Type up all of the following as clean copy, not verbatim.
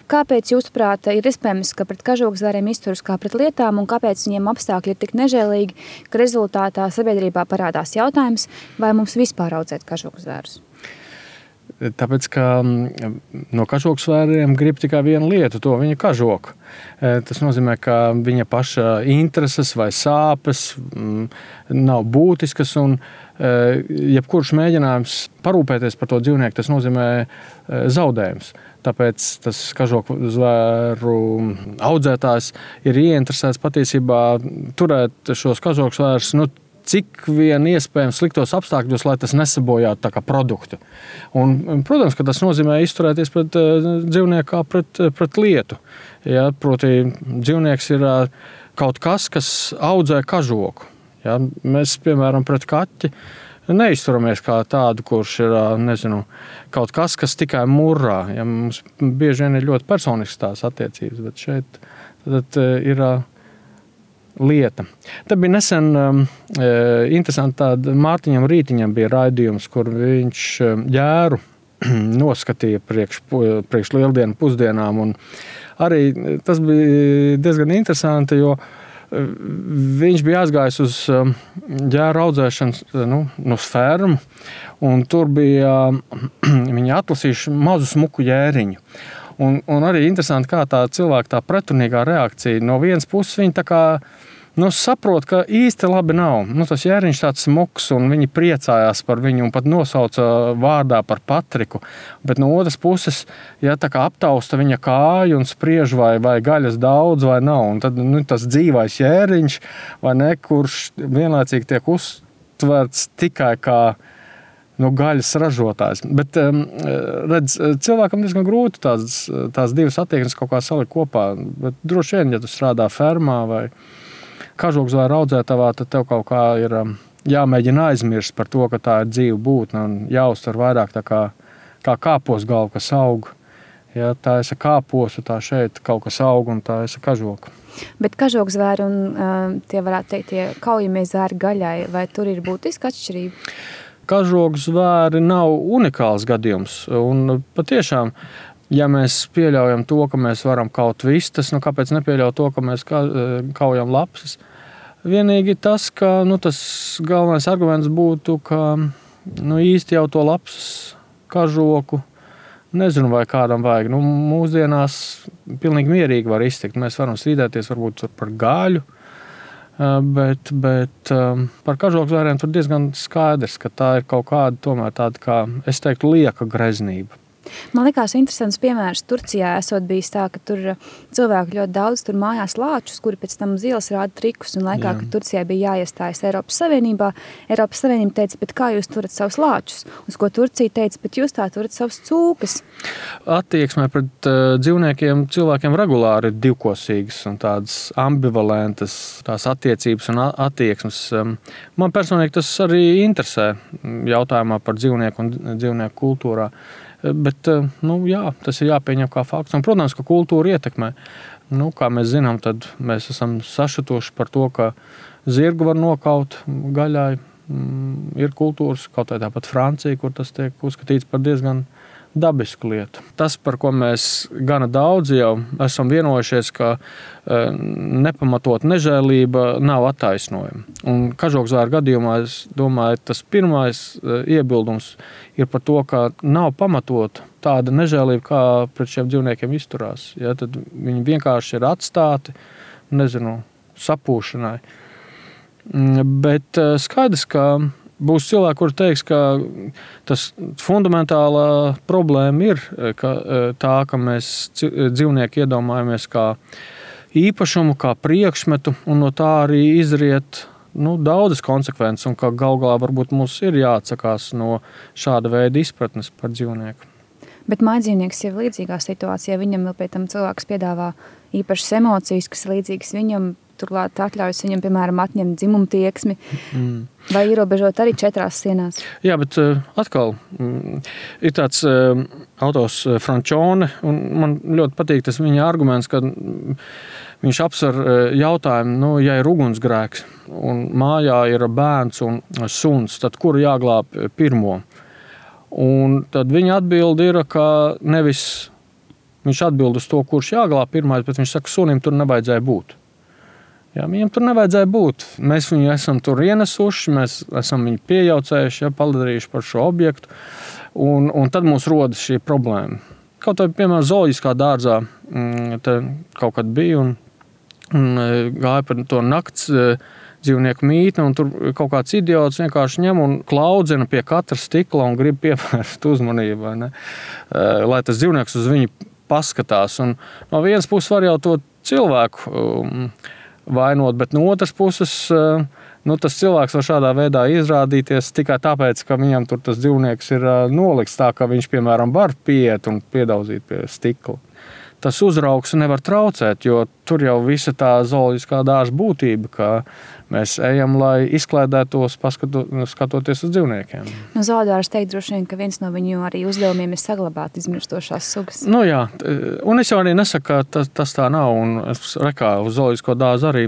Kāpēc jūsuprāt ir iespējams, ka pret kažokzvēriem izturas kā pret lietām un kāpēc viņiem apstākļi ir tik nežēlīgi, ka rezultātā sabiedrībā parādās jautājums, vai mums vispār audzēt kažokzvērus? Tāpēc, ka no kažokzvēriem grib tikai vienu lietu, to viņa kažoku. Tas nozīmē, ka viņa paša intereses vai sāpes nav būtiskas un jebkurš mēģinājums parūpēties par to dzīvnieku, tas nozīmē zaudējums. Tāpēc tas kažokzvēru audzētājs ir ieinteresēts patiesībā turēt šos kažokzvērus, cik vien iespējams sliktos apstākļos, lai tas nesabojātu tā kā produktu. Un, protams, ka tas nozīmē izturēties pret dzīvnieku kā pret lietu. Ja, proti, dzīvnieks ir kaut kas audzē kažoku. Ja, mēs, piemēram, pret kaķi neizturamies kā tādu, kurš ir, kaut kas tikai murrā. Ja, mums bieži vien ir ļoti personisks tās attiecības, bet šeit tad ir lieta. Te bija nesen interesanti tāda Mārtiņam Rītiņam bija raidījums, kur viņš ģēru noskatīja priekš lieldienu pusdienām. Un arī tas bija diezgan interesanti, jo viņš bija aizgājis uz ģēru audzēšanu uz fermu, un tur bija viņi atlasījuši mazu smuku ģēriņu. Un arī interesanti, kā tā cilvēka tā pretrunīgā reakcija. No vienas puses viņi tā kā saprot, ka īsti labi nav. Tas ģēriņš tāds smuks, un viņi priecājās par viņu un pat nosauca vārdā par Patriku. Bet no otras puses, ja tā kā aptausta viņa kāju un spriež, vai gaļas daudz vai nav. Un tad tas dzīvais ģēriņš, vai ne, kurš vienlaicīgi tiek uztverts tikai kā gaļas ražotājs. Bet, redz, cilvēkam diezgan grūti tās divas attieksmes kaut kā salikt kopā. Bet droši vien, ja tu strādā fermā vai kažokzvēru audzētavā, tad tev kaut kā ir jāmēģina aizmirst par to, ka tā ir dzīva būtne un jāuztver vairāk tā kā kāpos galva, kas aug. Ja, tā esi kāposu, tā šeit kaut kas aug un tā esi kažoka. Bet kažokzvēri un tie varētu teikt, tie kaujamie zvēri gaļai, vai tur ir būtiska atšķirība? Kažokzvēri nav unikāls gadījums. Un patiešām, ja mēs pieļaujam to, ka mēs varam kaut vistas, kāpēc nepieļaut to, ka mēs kaujam lapsas? Vienīgi tas, ka tas galvenais arguments būtu, ka īsti jau to lapsas kažoku nezinu, vai kādam vajag. Mūsdienās pilnīgi mierīgi var iztikt. Mēs varam strīdēties varbūt par gaļu, bet par kažokzvēriem tur diezgan skaidrs, ka tā ir kaut kāda tomēr tāda, kā es teiktu, lieka greznība. Man likās interesants piemērs Turcijā, esot bijis tā, ka tur cilvēki ļoti daudz tur mājās lāčus, kuri pēc tam uz ielas rāda trikus, un laikā, kad Turcijai bija jāiestājas Eiropas Savienībā, Eiropas Savienība teica, bet kā jūs turat savus lāčus? Uz ko Turcija teica, bet jūs tā turat savus cūkas. Attieksmē pret dzīvniekiem cilvēkiem regulāri ir divkosīgas un tādas ambivalentas tās attiecības un attieksmes. Man personīgi tas arī interesē jautājumā par dzīvnieku un dzīvnieku kultūrā. Bet, jā, tas ir jāpieņem kā fakts. Un, protams, ka kultūra ietekmē. Kā mēs zinām, tad mēs esam sašutuši par to, ka zirgu var nokaut gaļai. Ir kultūras, kaut vai tāpat Francija, kur tas tiek uzskatīts par diezgan dabisku lietu. Tas, par ko mēs gana daudz jau esam vienojušies, ka nepamatot nežēlība nav attaisnojama. Un kažokzvēru gadījumā, es domāju, tas pirmais iebildums ir par to, ka nav pamatot tāda nežēlība, kā pret šiem dzīvniekiem izturās. Ja, tad viņi vienkārši ir atstāti, sapūšanai. Bet skaidrs, ka būs cilvēki, kuri teiks, ka tas fundamentālā problēma ir tā, ka mēs dzīvnieku iedomājamies kā īpašumu, kā priekšmetu, un no tā arī izriet daudzas konsekvences, un ka galu galā varbūt mums ir jāatsakās no šāda veida izpratnes par dzīvnieku. Bet mājdzīvnieks jau ir līdzīgā situācijā, viņam vēl pie tam cilvēks piedāvā īpašas emocijas, kas līdzīgas viņam, turklāt atļaujas viņam, piemēram, atņemt dzimumtieksmi vai ierobežot arī 4 sienās. Jā, bet atkal ir tāds autors Frančone, un man ļoti patīk tas viņa arguments, ka viņš apsver jautājumu, ja ir ugunsgrēks un mājā ir bērns un suns, tad kuru jāglāb pirmo? Un tad viņa atbilde ir, ka nevis Viņš atbild uz to, kurš jāglāb pirmais, bet viņš saka, sunim tur nevajadzēja būt. Jā, viņam tur nevajadzēja būt. Mēs viņu esam tur ienesuši, mēs esam viņu piejaucējuši, padarījuši par šo objektu, un tad mums rodas šī problēma. Kaut vai, piemēram, zooloģiskā dārzā te kaut kad bija un gāja par to nakts dzīvnieku mītni, un tur kaut kāds idiots vienkārši ņem un klaudzina pie katra stikla un grib pievērst uzmanību, vai ne? Lai tas dzīvnieks uz viņu paskatās. Un no vienas puses var jau to cilvēku vainot, bet no otras puses tas cilvēks var šādā veidā izrādīties tikai tāpēc, ka viņam tur tas dzīvnieks ir nolikts tā, ka viņš, piemēram, var pieiet un piedaudzīt pie stikla. Tas uzraugs nevar traucēt, jo tur jau visa tā zooloģiskā dārza būtība, ka mēs ejam, lai izklaidētos, skatoties uz dzīvniekiem. No zoodārs teikt droši vien, ka viens no viņu arī uzdevumiem ir saglabāt izmirstošās sugas. Nu jā, un es jau arī nesaku, ka tas tā nav, un es rekā uz zooloģisko dārzu arī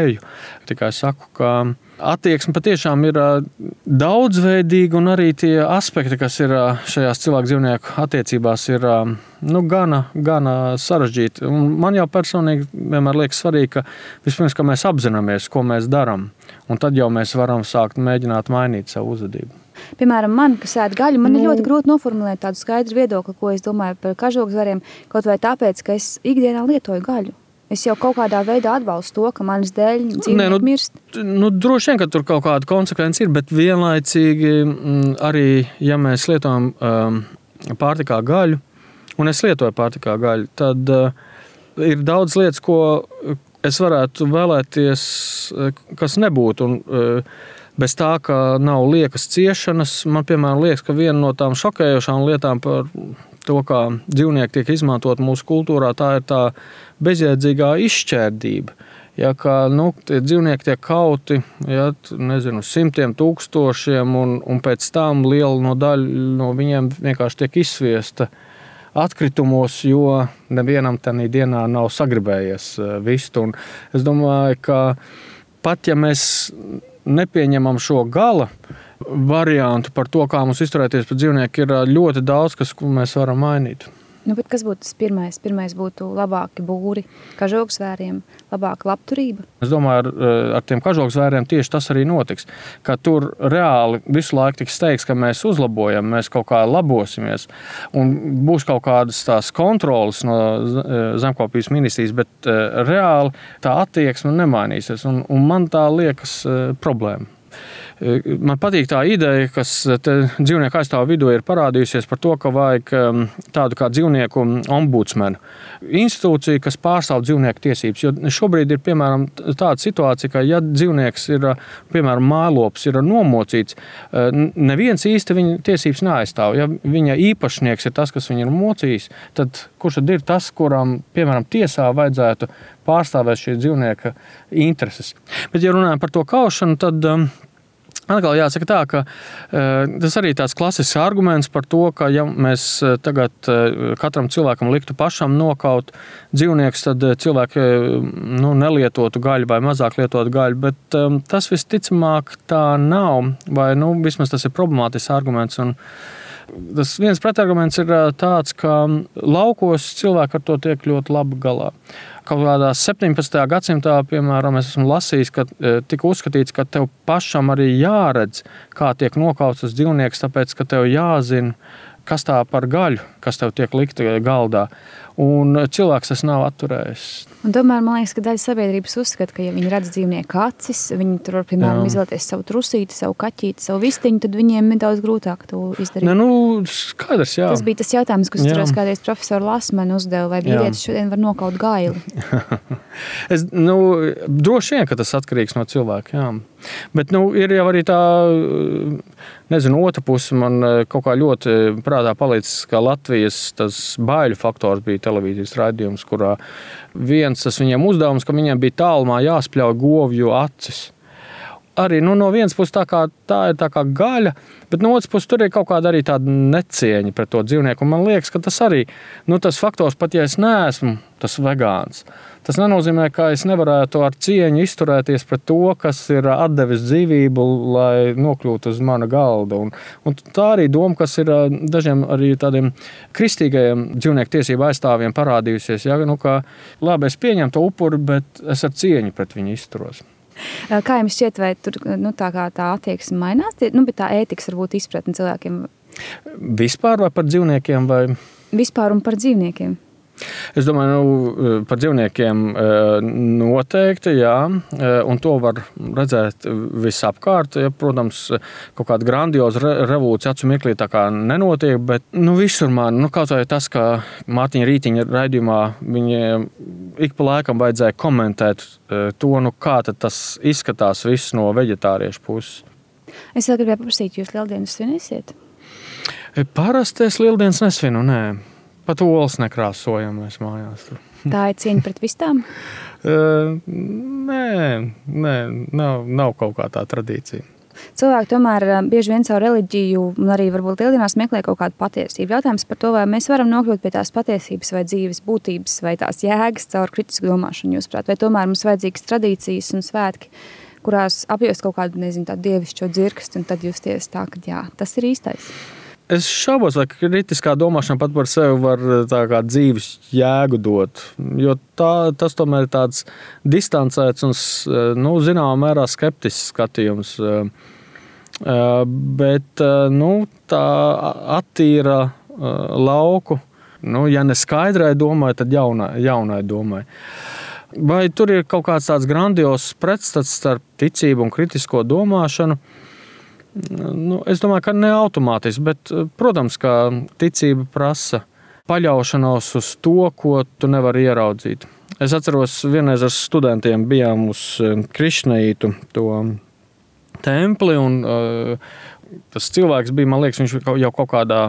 eju. Tikai saku, ka attieksme patiešām ir daudzveidīga, un arī tie aspekti, kas ir šajās cilvēku-dzīvnieku attiecībās, ir gana sarežģīti. Un man jau personīgi vienmēr liekas svarīgi, ka vispirms, ka mēs apzināmies, ko mēs darām, un tad jau mēs varam sākt mēģināt mainīt savu uzvedību. Piemēram, man, kas ēd gaļu, man ir ļoti grūti noformulēt tādu skaidru viedokli, ko es domāju par kažokzvariem, kaut vai tāpēc, ka es ikdienā lietoju gaļu. Es jau kaut kādā veidā atbalstu to, ka manas dēļ dzīvnieki mirst. Droši vien, ka tur kaut kāda konsekvence ir, bet vienlaicīgi arī, ja mēs lietojam pārtikā gaļu, un es lietoju pārtikā gaļu, tad ir daudz lietas, ko es varētu vēlēties, kas nebūtu. Un bez tā, ka nav liekas ciešanas, man, piemēram, liekas, ka viena no tām šokējošām lietām par to, kā dzīvnieki tiek izmantot mūsu kultūrā, tā ir tā bezjēdzīgā izšķērdība. Ja, ka tie dzīvnieki tiek kauti, simtiem tūkstošiem, un pēc tam liela daļa no viņiem vienkārši tiek izsviesta atkritumos, jo nevienam tādā dienā nav sagribējies vist. Un es domāju, ka pat ja mēs nepieņemam šo gala variantu par to, kā mums izturēties pret dzīvnieku, ir ļoti daudz, ko mēs varam mainīt. Bet kas būtu tas pirmais? Pirmais būtu labāki būri kažokzvēriem, labāka labturība? Es domāju, ar tiem kažokzvēriem tieši tas arī notiks. Ka tur reāli visu laiku tiks teikts, ka mēs uzlabojam, mēs kaut kā labosimies. Un būs kaut kādas tās kontrolas no zemkopības ministrijas, bet reāli tā attieksme nemainīsies. Un man tā liekas problēma. Man patīk tā ideja, kas dzīvnieku aizstāvu vidū ir parādījusies par to, ka vajag tādu kā dzīvnieku ombudsmenu institūciju, kas pārstāv dzīvnieku tiesības. Jo šobrīd ir, piemēram, tāda situācija, ka ja dzīvnieks ir, piemēram, mājlops ir nomocīts, neviens īsti viņa tiesības neaizstāv. Ja viņa īpašnieks ir tas, kas viņu ir mocījis, tad kurš tad ir tas, kuram, piemēram, tiesā vajadzētu pārstāvēt šī dzīvnieka intereses. Bet, ja runājam par to kaušanu, tad atkal jāsaka tā, ka tas arī tāds klasisks arguments par to, ka ja mēs tagad katram cilvēkam liktu pašam nokaut dzīvniekus, tad cilvēki nelietotu gaļu vai mazāk lietotu gaļu, bet tas visticamāk tā nav, vai vismaz tas ir problemātisks arguments. Un tas viens pretarguments ir tāds, ka laukos cilvēki ar to tiek ļoti labi galā. Kaut kādā 17. gadsimtā, piemēram, es esmu lasījis, ka tika uzskatīts, ka tev pašam arī jāredz, kā tiek nokauts tas dzīvnieks, tāpēc, ka tev jāzina, kas tā par gaļu, kas tev tiek likta galdā. Un cilvēks tas nav atturējis. Un tomēr man liekas, ka daļa sabiedrības uzskata, ka ja viņi redz dzīvnieku acis, viņi tur var, piemēram, izvēlēties savu trusīti, savu kaķīti, savu vistiņu, tad viņiem ir daudz grūtāk to izdarīt. Skaidrs, jā. Tas bija tas jautājums, kas turās kādreiz profesoru Lasmanu uzdeva, vai vīrietis šodien var nokaut gaili? Droši vien, ka tas atkarīgs no cilvēka, jā. Bet ir jau arī tā, otra puse man kaut kā ļoti prātā palicis, ka Latvijas tas baiļu faktors bija televīzijas raidījums, kurā viens tas viņiem uzdevums, ka viņiem bija tālumā jāspļauj govju acis. arī no vienas puses tā ir tā kā gaļa, bet no otras puses tur ir kaut kāda arī tāda necieņa pret to dzīvnieku. Un man liekas, ka tas arī, tas faktors, pat ja es neesmu tas vegāns, tas nenozīmē, ka es nevarētu ar cieņu izturēties pret to, kas ir atdevis dzīvību, lai nokļūtu uz mana galda. Un tā arī doma, kas ir dažiem arī tādiem kristīgajiem dzīvnieku tiesību aizstāvjiem parādījusies. Ja? Ka labi, es pieņemu to upuri, bet es ar cieņu pret viņu izturos. Kā jums šķiet, vai tur tā attieksme mainās? Bet tā ētikas varbūt izpratne cilvēkiem? Vispār vai par dzīvniekiem? Vai? Vispār un par dzīvniekiem. Es domāju, par dzīvniekiem noteikti, jā, un to var redzēt visapkārt. Ja, protams, kaut kāda grandioza revolūcija acu mirklī tā kā nenotiek, bet visur man, kaut vai tas, ka Mārtiņa Rītiņa raidījumā viņiem ik pa laikam vajadzēja komentēt to, kā tad tas izskatās viss no veģetāriešu puses. Es vēl gribēju paprasīt, jūs lieldienas svinēsiet? Parasti es lieldienas nesvinu, nē. Pat olas nekrāsojam mēs mājās. Tā ir cieņa pret vistām? Nē, nav kaut kā tā tradīcija. Cilvēki tomēr bieži vien savu reliģiju un arī varbūt lieldienās meklē kaut kādu patiesību. Jautājums par to, vai mēs varam nokļūt pie tās patiesības vai dzīves būtības vai tās jēgas caur kritisku domāšanu, jūsuprāt, vai tomēr mums vajadzīgas tradīcijas un svētki, kurās apjost kaut kādu, tādu dievišķo dzirkstu un tad justies tā, ka jā, tas ir īstais. Es šaubos, vai kritiskā domāšana pat par sevi var tā kā dzīves jēgu dot, jo tas tomēr ir tāds distancēts un, zināmā mērā skeptisks skatījums. Bet, tā attīra lauku, ja ne skaidrai domai, tad jaunai domai. Vai tur ir kaut kāds tāds grandios pretstats starp ticību un kritisko domāšanu? Es domāju, ka ne automātiski, bet, protams, ka ticība prasa paļaušanos uz to, ko tu nevari ieraudzīt. Es atceros, vienreiz ar studentiem bijām uz Krišneitu to templi, un tas cilvēks bija, man liekas, viņš jau kaut kādā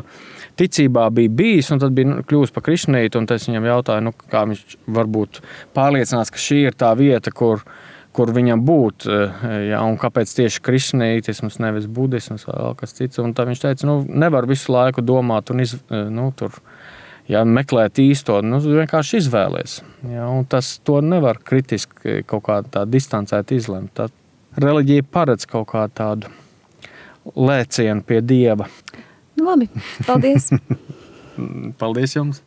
ticībā bija bijis, un tad bija kļūst par Krišneitu, un es viņam jautāju, kā viņš var būt pārliecināts, ka šī ir tā vieta, kur viņam būt, ja, un kāpēc tieši krišneitisms, nevis budisms vai vēl kas cits. Un tad viņš teica, nevar visu laiku domāt un tur, ja, meklēt īsto, vienkārši izvēlies. Ja, un to nevar kritiski kaut kā tā distancēt izlemt. Tā reliģija paredz kaut kā tādu lēcienu pie Dieva. Labi, paldies. Paldies jums.